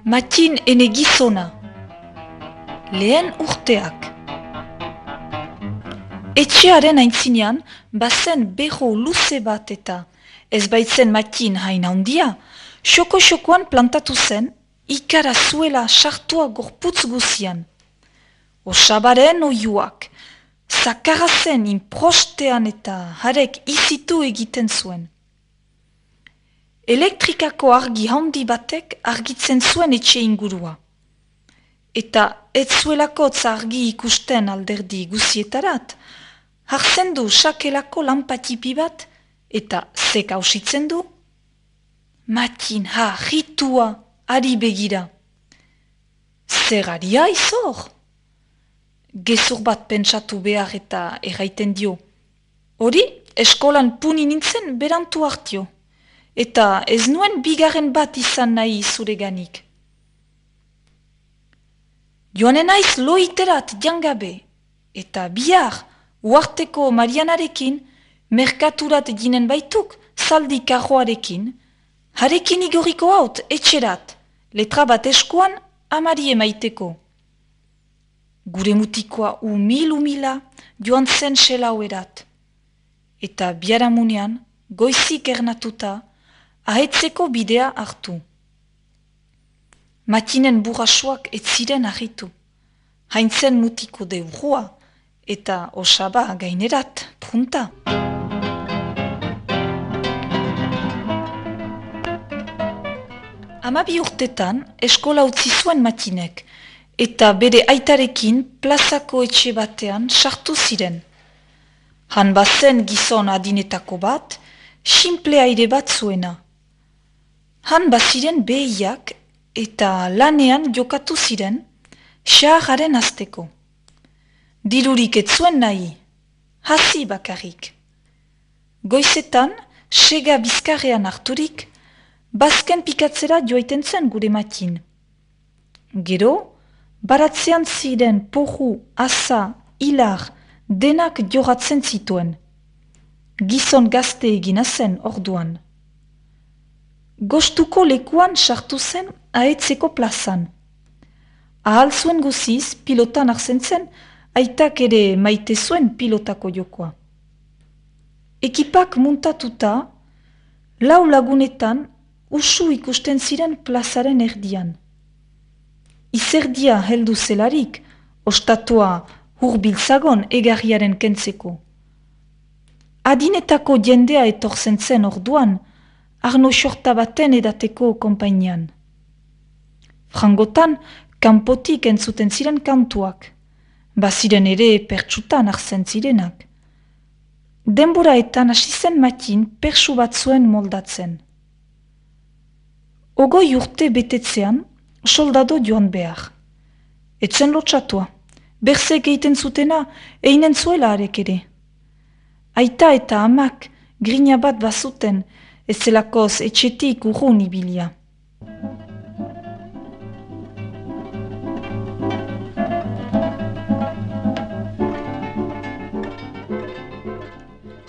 Matin ene gizona. Lehen urteak. Etxearen aintzinean, bazen berro luze bat eta ez baitzen Matin hain handia, xoko-xokoan plantatu zen, ikara zuela sartua gorputz guzian. Osabaren oiuak, zakarra zen inprostean eta harek izitu egiten zuen. Elektrikako argi handi batek argitzen zuen etxe ingurua. Eta ez zuelako argi ikusten alderdi guzietarat, hartzen du sakelako lanpatipi bat eta zek hausitzen du. Matin, ritua, ari begira. Zer aria izor? Gezur bat pentsatu behar eta erraiten dio. Hori, eskolan puni nintzen berantu hartio. Eta ez nuen bigarren bat izan nahi zureganik. Joanen naiz loiterat jangabe, eta bihar, uarteko Marianarekin, merkaturat ginen baituk, zaldi karroarekin, harekin igoriko haut etxerat, letra bat eskuan, amari emaiteko. Gure mutikoa umila joan zen selauerat, eta biharamunean, goizik ernatuta, ahetzeko bidea hartu. Matinen burrasuak ez ziren ahitu. Haintzen mutiko deurua eta osaba gainerat, punta. Hamabi urtetan eskola utzi zuen Matinek eta bere aitarekin plazako etxe batean sartu ziren. Han bazen gizon adinetako bat, simple aire bat zuena. Han baziren behiak eta lanean jokatu ziren, xahararen azteko. Dirurik ez zuen nahi, hasi bakarrik. Goizetan, sega bizkarrean harturik, bazken pikatzera joaiten zen gure Matin. Gero, baratzean ziren porru, asa, hilar, denak joratzen zituen. Gizon gazte egina zen orduan. Gostuko lekuan sartu zen ahetzeko plazan. Ahal zuen guziz pilotan hartzen zen, aitak ere maite zuen pilotako jokoa. Ekipak muntatuta, lau lagunetan usu ikusten ziren plazaren erdian. Izerdia heldu zelarik, ostatua hurbiltzagon egarriaren kentzeko. Adinetako jendea etortzen zen orduan, arno xorta baten edateko konpainian. Frangotan, kanpotik entzuten ziren kantuak, baziren ere pertsutan hartzen zirenak. Denboraetan hasi zen Matin persu bat zuen moldatzen. Ogoi urte betetzean, soldado joan behar. Etzen lotxatua, berzek egiten zutena, einen zuela arek ere. Aita eta amak grina bat bazuten, ez zelakoz etxetik urrun ibilia.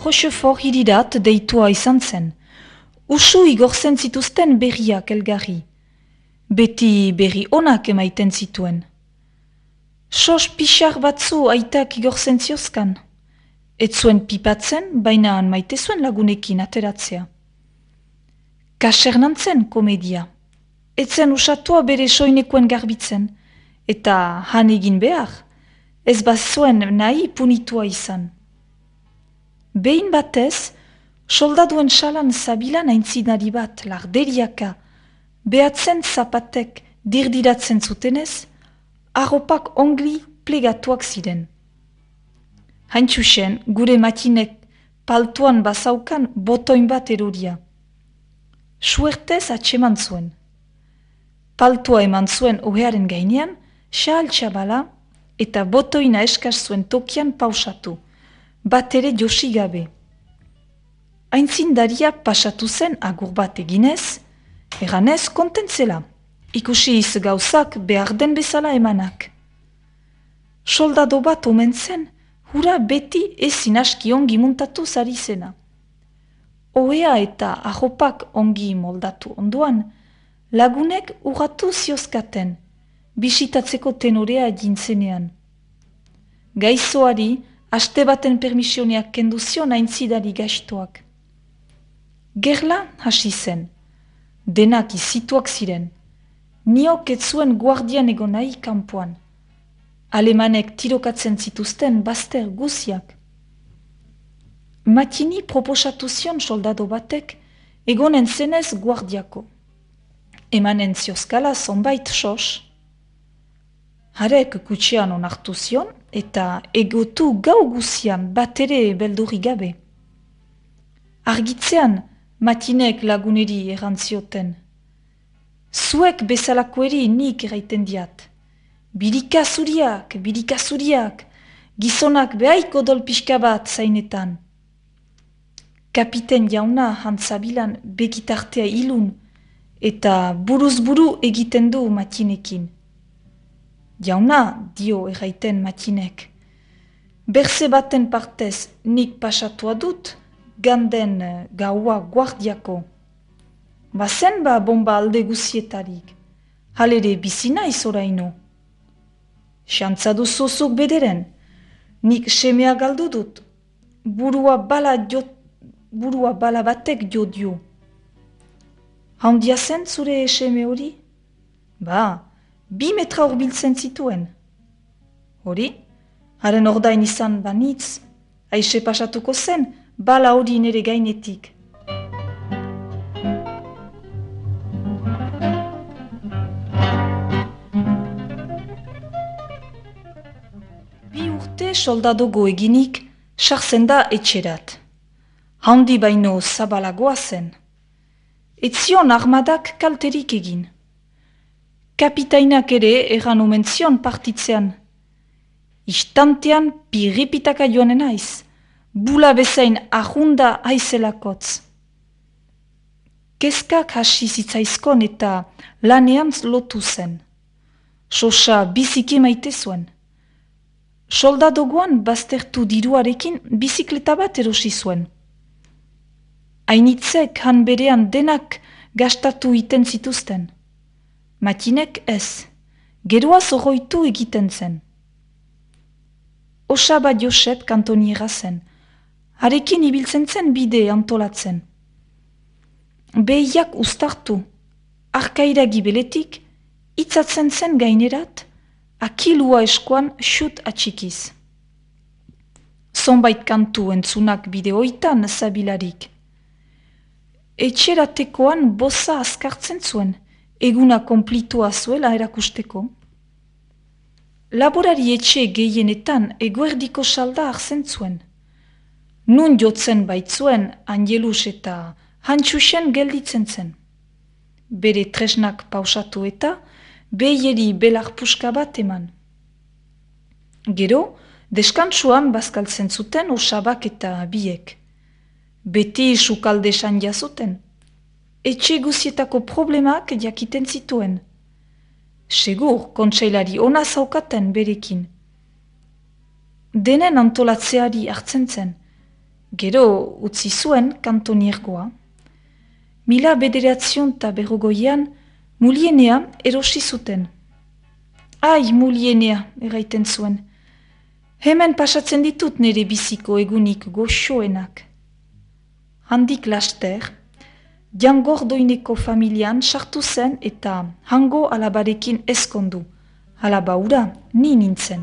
Rochefort hirirat deitua izan zen. Usu igortzen zituzten berriak elgarri. Beti berri onak emaiten zituen. Sos pixar batzu aitak igortzen ziozkan. Ez zuen pipatzen, baina maite zuen lagunekin ateratzea. Kasernantzen komedia. Ez zen usatua bere soinekoen garbitzen, eta han egin behar, ez bazuen nahi punitua izan. Behin batez, soldaduen salan zabilan aintzinari bat larderiaka, behatzen zapatek dirdiratzen zutenez, arropak ongli plegatuak ziren. Haintxusen, gure Matinek paltuan bazaukan botoin bat eroria. Suertez atseman zuen. Paltua eman zuen ohearen gainean, xahal txabala eta botoina eskaz zuen tokian pausatu, bat ere josi gabe. Aintzindaria pasatu zen agur bat eginez, eganez kontentzela, ikusi iz gauzak behar den bezala emanak. Soldado bat omen zen, hura beti ezin aski ongi muntatu zari zena. Ohea eta arropak ongi moldatu onduan, Lagunek urratu ziozkaten, bisitatzeko tenorea egintzenean. Gaizoari, aste baten permisioneak kendu zion aintzidari gaiztoak. Gerla hasi zen, denak izituak ziren, niok ez zuen guardian egon nahi kanpoan. Alemanek tirokatzen zituzten bazter guziak. Matini proposatu zion soldado batek egonen zenez guardiako. Emanen ziozkala zonbait sos. Harek kutxean onartu zion eta egotu gau guzian bat ere beldurri gabe. Argitzean Matinek laguneri erantzioten. Zuek bezalakoeri nik eraiten diat. Birika zuriak, gizonak behaiko dol pixka bat zainetan. Kapiten jauna hantzabilan begitartea ilun eta buruz buru egiten du Matinekin. Jauna, dio erraiten Matinek. Berze baten partez nik pasatua dut, ganden gaua guardiako. Bazen ba bomba alde guzietarik, halere bizina izoraino. Xantzadu zuzuk bederen, nik semea galdu dut, burua bala batek jo dio. Handia zen zure seme hori? Ba, 2 metra urbiltzen zituen. Hori? Haren ordain izan banitz, aixe pasatuko zen, bala hori nere gainetik. Bi urte soldadogo eginik, sartzen da etxerat. Handi baino zabalagoa zen. Etzion armadak kalterik egin. Kapitainak ere erran omen zion partitzean. Istantean pirripitaka joanen aiz, bula bezain ahunda aizelakotz. Kezkak hasi zitzaizkon eta lanean lotu zen. Sosa biziki maite zuen. Soldadogoan baztertu diruarekin bizikleta bat erosi zuen. Hainitzek han berean denak gastatu iten zituzten. Matinek ez, geroaz oroitu egiten zen. Osaba Josep kantoniera zen, harekin ibiltzen zen bide antolatzen. Behiak ustartu, arkaira gibeletik, itzatzen zen gainerat, akilua eskuan xut atxikiz. Zonbait kantu entzunak bideoitan zabilarik. Etxeratekoan boza azkartzen zuen, eguna konplitua zuela erakusteko. Laborari etxe gehienetan eguerdiko salda hartzen zuen. Nun jotzen baitzuen Angelus eta Hantxusen gelditzen zen. Bere tresnak pausatu eta behieri belar puska bat eman. Gero, deskantsuan bazkaltzen zuten osabak eta biek. Beti sukalde sandia zuten. Etxe guzietako problemak jakiten zituen. Segur, kontseilari ona zaukaten berekin. Denen antolatzeari hartzen zen. Gero utzi zuen kantoniergoa. 19berrogoian Mulienea erosi zuten. Ai, Mulienea, erraiten zuen. Hemen pasatzen ditut nire biziko egunik goxoenak. Handik laster, Jangordoineko familian sartu zen eta hango alabarekin ezkondu. Alaba hura, ni nintzen.